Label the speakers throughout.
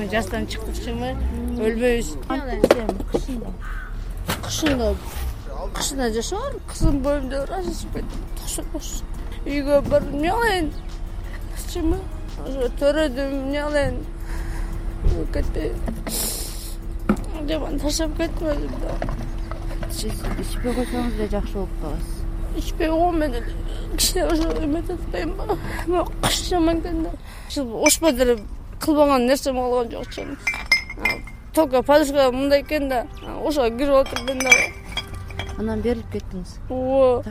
Speaker 1: эми жастан чыктыкчымы өлбөйбүз. Кышында жашаган кызым боюмда разышып кетти. Үйгө барып эмне кылайын? Ошо төрөдүм, эмне кылайын? Кетти. Жаман таштап кеттим өзүмдү.
Speaker 2: Сиз ичпей койсоңуз да жакшы болуп каласыз.
Speaker 1: Ичпей койгон кичине ошо эметип атпайбы? Кыш жаман экен да. Ошпо деле кылбаган нерсем калган жок чын. Только подушка мындай экен да, ошого кирип отурдум да.
Speaker 2: Анан берилип кеттиңиз.
Speaker 1: Ооба.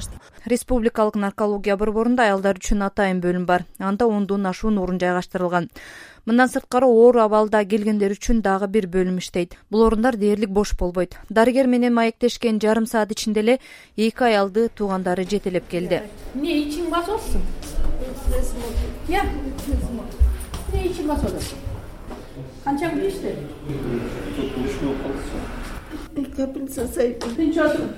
Speaker 3: Республикалык наркология борборунда аялдар үчүн атайын бөлүм бар. Анда 10дон ашуун орун жайгаштырылган. Мындан сырткары оор абалда келгендер үчүн дагы бир бөлүм иштейт. Бул орундар дээрлик бош болбойт. Дарыгер менен маектешкен жарым саат ичинде эле 2 аялды туугандары жетелеп келди.
Speaker 2: Эмне ичиң басып атсың? Я. Эмне ичиң басып атасың? Канча күн иштеди?
Speaker 4: Капельница сайып.
Speaker 2: Тынч отуруп.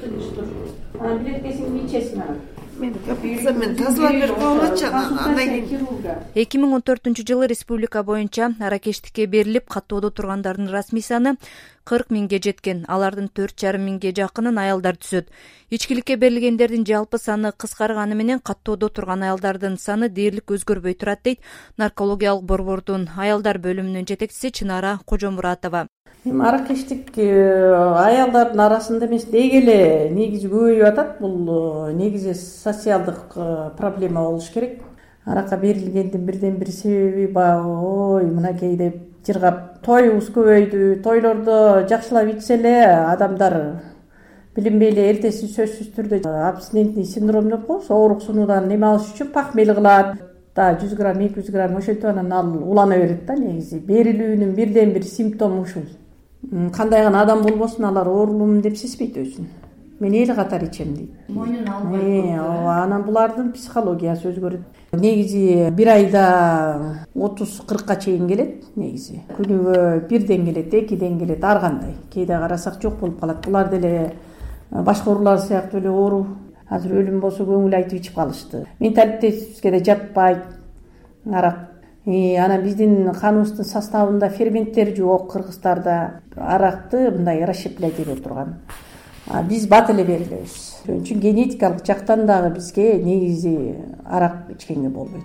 Speaker 2: Анан билеткесиңди ичесиң анан.
Speaker 4: Мен капельницамен тазалап берип койгончу андан кийин
Speaker 3: 2014-жылы республика боюнча аракештикке берилип каттоодо тургандардын расмий саны 40 миңге жеткен. Алардын 4,5 миңге жакынын аялдар түзөт. Ичкиликке берилгендердин жалпы саны кыскарганы менен каттоодо турган аялдардын саны дээрлик өзгөрбөй турат дейт наркологиялык борбордун аялдар бөлүмүнүн жетекчиси Чынара Кожомуратова.
Speaker 4: Аракештик аялдардын арасында эмес, деги эле негизи көбөйүп атат. Бул негизи социалдык проблема болуш керек. Аракка берилгендин бирден бир себеби ой мынакей деп жыргап тоюбуз көбөйдү. Тойлордо жакшылап ичсе эле адамдар билинбей эле эртеси сөзсүз түрдө абстинентный синдром деп коебуз. Оорук сунуудан эме алыш үчүн пахмел кылат. 100 грамм, 200 грамм ошентип анан ал улана берет да. Негизи берилүүнүн бирден бир симптому ушул. Кандай гана адам болбосун алар оорулуумун деп сезбейт өзүн. Мен эл катары ичем дейт.
Speaker 2: Мойнун албайт.
Speaker 4: Анан булардын психологиясы өзгөрөт. Негизи бир айда 30-40ка чейин келет. Негизи күнүгө 1ден келет, 2ден келет, ар кандай. Кээде карасак жок болуп калат. Булар деле башка оорулар сыяктуу эле оору. Азыр өлүм болсо көңүл айтып ичип калышты. Менталитетибизге да жатпайт арак. Анан биздин каныбыздын составында ферменттер жок. Кыргыздарда аракты мындай расщеплять этип турган. Биз бат эле берилебиз. Ошон үчүн генетикалык жактан дагы бизге негизи арак ичкенге болбойт.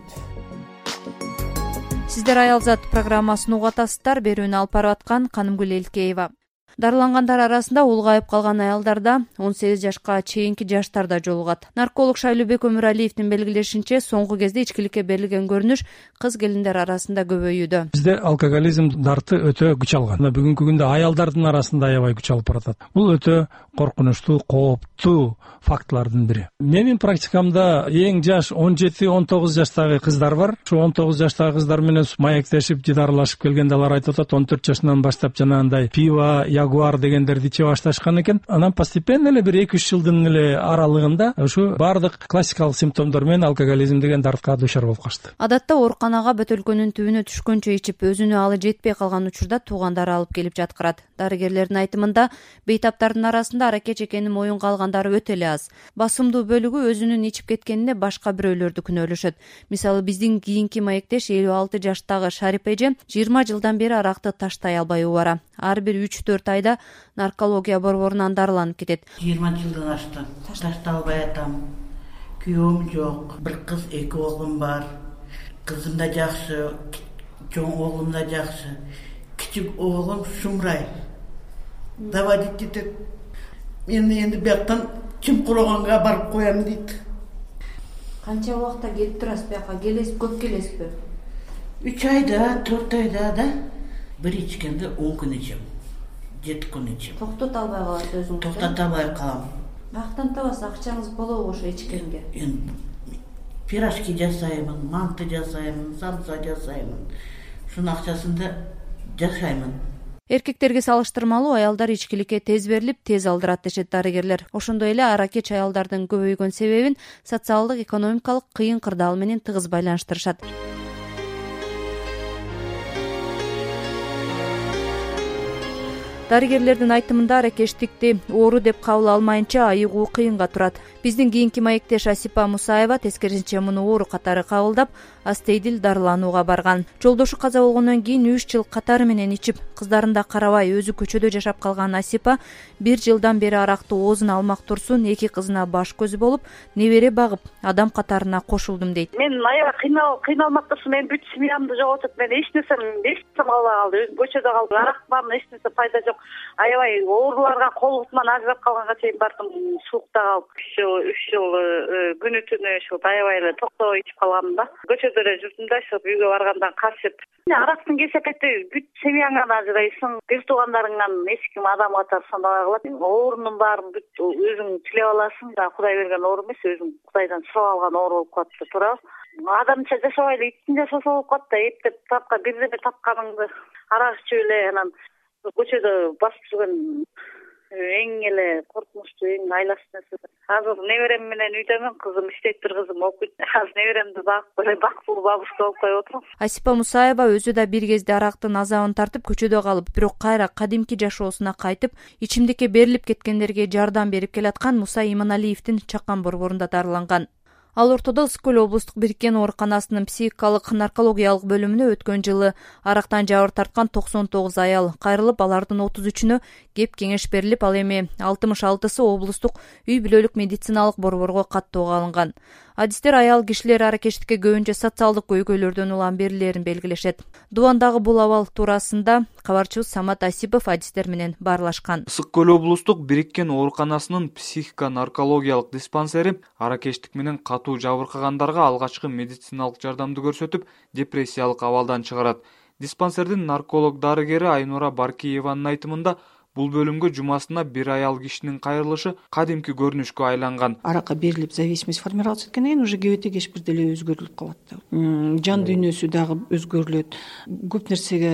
Speaker 3: Сиздер Аялзат программасын угуп атасыздар. Берүүнү алып барып аткан Канымгүл Элкеева. Дарылангандар арасында улгайып калган аялдарда 18 жашка чейинки жаштарда жолугат. Нарколог Шайлообек Өмүралиевдин белгилешинче, соңку кезде ичкиликке берилген көрүнүш кыз келиндер арасында көбөйүүдө.
Speaker 5: Бизде алкоголизм дарты өтө күч алган. Бүгүнкү күндө аялдардын арасында аябай күч алып баратат. Бул өтө коркунучтуу, кооптуу фактылардын бири. Менин практикамда эң жаш 17-19 жаштагы кыздар бар. Ушу 19 жаштагы кыздар менен маектешип, жидарылашып келгенде алар айтып атат, 14 жашынан баштап жанагындай пиво, ягуар дегендерди иче башташкан экен. Анан постепенно эле бир 2-3 жылдын эле аралыгында ушу баардык классикалык симптомдор менен алкоголизм деген дартка дуушар болуп калышты.
Speaker 3: Адатта ооруканага бөтөлкөнүн түбүнө түшкөнчө ичип, өзүнө алы жетпей калган учурда туугандары алып келип жаткырат. Дарыгерлердин айтымында, бейтаптардын арасында аракеч экенин моюнга алгандары өтө эле аз. Басымдуу бөлүгү өзүнүн ичип кеткенине башка бирөөлөрдү күнөөлөшөт. Мисалы, биздин кийинки маектеш 56 жаштагы Шарип эже 20 жылдан бери аракты таштай албай убара. Ар бир 3-4 айда наркология борборунан дарыланып кетет.
Speaker 6: 20 жылдан ашты. Таштай албай атам. Күйөөм жок. Бир кыз, 2 оглум бар. Кызым да жакшы, чоң оглум да жакшы. Кичик оглум Шумрай. Давадить этет. Мен энди бияктан Чымкуроганга барып коям дейт.
Speaker 2: Канча убакта келип турасыз бияка? Келесиз, көп келесизби?
Speaker 6: 3 айда, 4 айда да. Бир ичкенде 10 күн ичем. 7 күн ичем.
Speaker 2: Токтото албай калат өзүңүз.
Speaker 6: Токтото албай калам.
Speaker 2: Бактан табасыз, акчаңыз болобу ошо ичкенге?
Speaker 6: Пирожки жасаймын, манты жасаймын, самса жасаймын. Шунун акчасында жашаймын.
Speaker 3: Эркектерге салыштырмалуу аялдар ичкиликке тез берилип, тез алдырат дешет дарыгерлер. Ошондой эле аракеч аялдардын көбөйгөн себебин социалдык, экономикалык кыйын кырдаал менен тыгыз байланыштырышат. Дарыгерлердин айтымында аракештикти оору деп кабыл алмайынча айыгуу кыйынга турат. Биздин кийинки маектеш Асипа Мусаева тескерисинче муну оору катары кабылдап, астейдил дарыланууга барган. Жолдошу каза болгондон кийин 3 жыл катары менен ичип, кыздарында карабай өзү көчөдө жашап калган Асипа 1 жылдан бери аракты оозуна алмак турсун 2 кызына баш көзү болуп, небере багып, адам катарына кошулдум дейт.
Speaker 7: Мен аябай кыйналмак турсун, мен бүт семьямды жоготуп, мен эч нерсем калбай калды. Өзүм көчөдө калдым. Арак бардым, эч нерсе пайда жок. Аябай ооруларга кол бутуман ажырап калганга чейин бардым. Суукта калып 3 жыл күнү түнү ушул аябай эле токтобой ичип калгам да. Көчөдө эле жүрдүм да, ошо үйгө баргандан качып. Арактын кесепети бүт семьяңан ажырайсың, бир туугандарыңан эч ким адам катары санабай калат. Оорунун баарын бүт өзүң тилеп аласың да, Кудай берген оору эмес, өзүң Кудайдан сурап алган оору болуп калат да, туурабы? Адамча жашабайлы, иттин жашаса болуп калат да, эптеп тапка бирдеме тапканыңды арак ичип эле анан көчөдө басып жүргөн эң эле коркунучтуу, эң айласыз нерсе. Азыр неберем менен үйдөмүн, кызым иштейт, бир кызым окуйт. Азыр неберемди бакпыл бабушка болуп коюп отурам.
Speaker 3: Асипа Мусаева өзү да бир кезде арактын азабын тартып көчөдө калып, бирок кайра кадимки жашоосуна кайтып, ичимдикке берилип кеткендерге жардам берип келаткан Муса Иманалиевдин Чакан борборунда дарыланган. Ал ортодо Ысык көл облустук бириккен ооруканасынын психикалык наркологиялык бөлүмүнө өткөн жылы арактан жабыр тарткан 99 аял кайрылып, алардын 33-үнө кеп кеңеш берилип, ал эми 66-сы облустук үй бүлөлүк медициналык борборго каттоого алынган. Адистер аял кишилер аракештикке көбүнчө социалдык көйгөйлөрдөн улам берилерин белгилешет. Дубандагы бул абал туурасында кабарчыбыз Самат Асипов адистер менен баарлашкан.
Speaker 8: Ысык көл облустук бириккен ооруканасынын психика наркологиялык диспансери аракештик менен катуу жабыркагандарга алгачкы медициналык жардамды көрсөтүп, депрессиялык абалдан чыгарат. Диспансердин нарколог дарыгери Айнура Баркиеванын айтымында, бул бөлүмгө жумасына бир аял кишинин кайрылышы кадимки көрүнүшкө айланган.
Speaker 9: Аракка берилип, зависимость формироваться эткенден кийин уже кебете кеч бир деле өзгөрүлүп калат да. Жан дүйнөсү дагы өзгөрүлөт. Көп нерсеге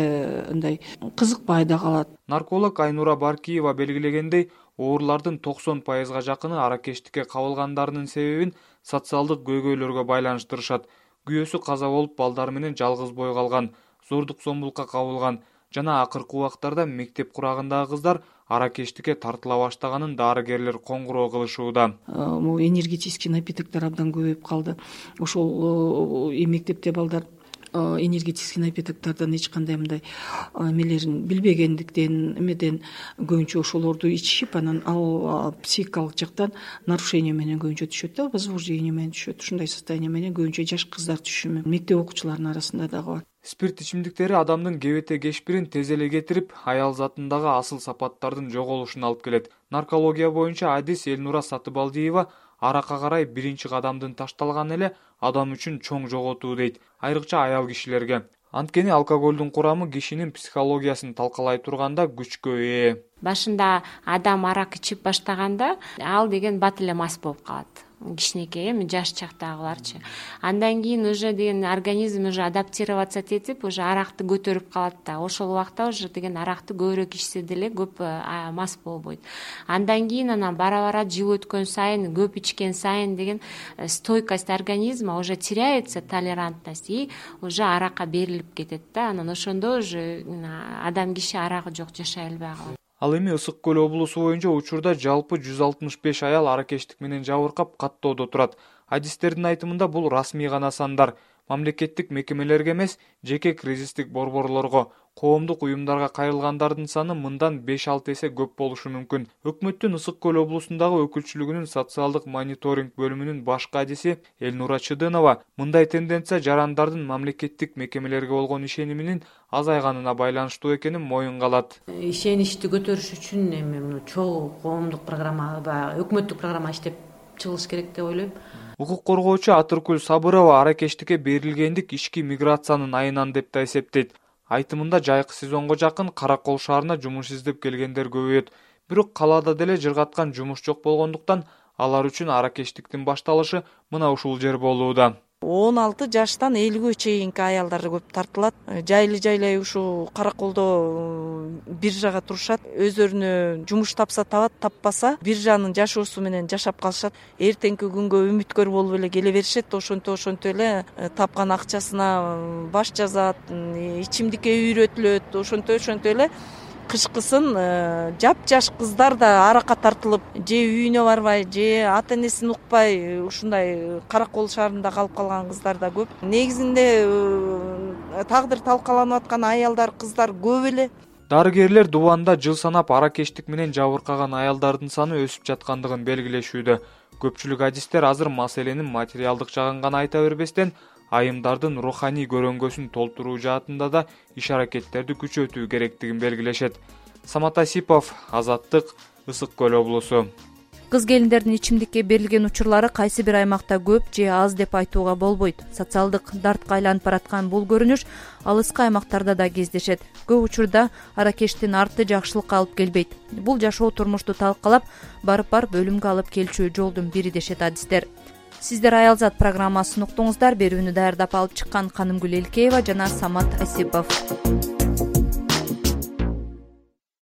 Speaker 9: ындай кызыкпай да калат.
Speaker 8: Нарколог Айнура Баркиева белгилегендей, оорулардын 90%га жакыны аракештикке кабылгандарынын себебин социалдык көйгөйлөргө байланыштырышат. Күйөөсү каза болуп, балдары менен жалгыз бой калган, зордук зомбулукка кабылган жана акыркы убактарда мектеп курагындагы кыздар аракештикке тартыла баштаганын дарыгерлер коңгуроо кылышууда.
Speaker 9: Энергетический напитоктор абдан көбөйүп калды. Ошол мектепте балдар энергетический напитоктордон эч кандай мындай эмелерин билбегендиктен эмеден көбүнчө ошолорду ичишип, анан ал психикалык жактан нарушение менен көбүнчө түшөт да, возбуждение менен түшөт. Ушундай состояние менен көбүнчө жаш кыздар түшүшү мүмкүн. Мектеп окуучуларынын арасында дагы бар.
Speaker 8: Спирт ичимдиктери адамдын кебете кешпирин тез эле кетирип, аял затындагы асыл сапаттардын жоголушуна алып келет. Наркология боюнча адис Элнура Сатыбалдиева аракка карай биринчи кадамдын ташталганы эле адам үчүн чоң жоготуу дейт, айрыкча аял кишилерге. Анткени алкоголдун курамы кишинин психологиясын талкалай турганда күчкө ээ.
Speaker 10: Башында адам арак ичип баштаганда ал деген бат эле мас болуп калат. Кичинекей, эми жаш чактагыларчы. Андан кийин уже деген организм уже адаптироваться этип, уже аракты көтөрүп калат да. Ошол убакта уже деген аракты көбүрөөк ичсе деле көп мас болбойт. Андан кийин анан бара-бара жыл өткөн сайын, көп ичкен сайын деген стойкость организма уже теряется, толерантность, и уже аракка берилип кетет да. Анан ошондо уже адам киши арагы жок жашай албай калат.
Speaker 8: Ал эми Ысык көл облусу боюнча учурда жалпы 165 аял аракештик менен жабыркап каттоодо турат. Адистердин айтымында бул расмий гана сандар. Мамлекеттик мекемелерге эмес, жеке кризистик борборлорго, коомдук уюмдарга кайрылгандардын саны мындан 5-6 эсе көп болушу мүмкүн. Өкмөттүн Ысык көл облусундагы өкүлчүлүгүнүн социалдык мониторинг бөлүмүнүн башкы адиси Элнура Чыдынова мындай тенденция жарандардын мамлекеттик мекемелерге болгон ишениминин азайганына байланыштуу экенин моюнга алат.
Speaker 2: Ишеничти көтөрүш үчүн эми чоң коомдук программа, өкмөттүк программа иштеп чыгыш керек деп ойлойм.
Speaker 8: Укук коргоочу Атыркүл Сабырова аракештикке берилгендик ички миграциянын айынан деп да эсептейт. Айтымында жайкы сезонго жакын Каракол шаарына жумуш издеп келгендер көбөйөт. Бирок калаада деле жыргаткан жумуш жок болгондуктан алар үчүн аракештиктин башталышы мына ушул жер болууда.
Speaker 11: 16 жаштан 50-ге чейинки аялдар көп тартылат. Жайлы-жайлай ушу Караколдо биржага турушат. Өздөрүнө жумуш тапса табат, таппаса биржанын жашоосу менен жашап калышат. Эртеңки күнгө үмүткөр болуп эле келе беришет. Ошонто эле тапкан акчасына баш жазат, ичимдикке үйрөтүлөт. Ошонто эле кышкысын жапжаш кыздар да аракка тартылып же үйүнө барбай же ата энесин укпай ушундай Каракол шаарында калып калган кыздар да көп. Негизинде тагдыр талкаланып аткан аялдар, кыздар көп эле.
Speaker 8: Дарыгерлер Дубанда жыл санап аракештик менен жабыркаган аялдардын саны өсүп жаткандыгын белгилешүүдө. Көпчүлүк адистер азыр маселенин материалдык жагын гана айта бербестен, айымдардын руханий көрөңгөсүн толтуруу жаатында да иш-аракеттерди күчөтүү керектигин белгилешет. Самат Асипов, Азаттык, Ысык Көл облусу.
Speaker 3: Кыз келиндердин ичимдикке берилген учурлары кайсы бир аймакта көп же аз деп айтууга болбойт. Социалдык дартка айланып бараткан бул көрүнүш алыскы аймактарда да кездешет. Көп учурда аракештин арты жакшылыкка алып келбейт. Бул жашоо турмушту талкалап, барып өлүмгө алып келчү жолдун бири дешет адистер. Сиздер Аялзат программасын уктуңуздар. Берүүнү даярдап алып чыккан Канымгүл Элкеева жана Самат Асипов.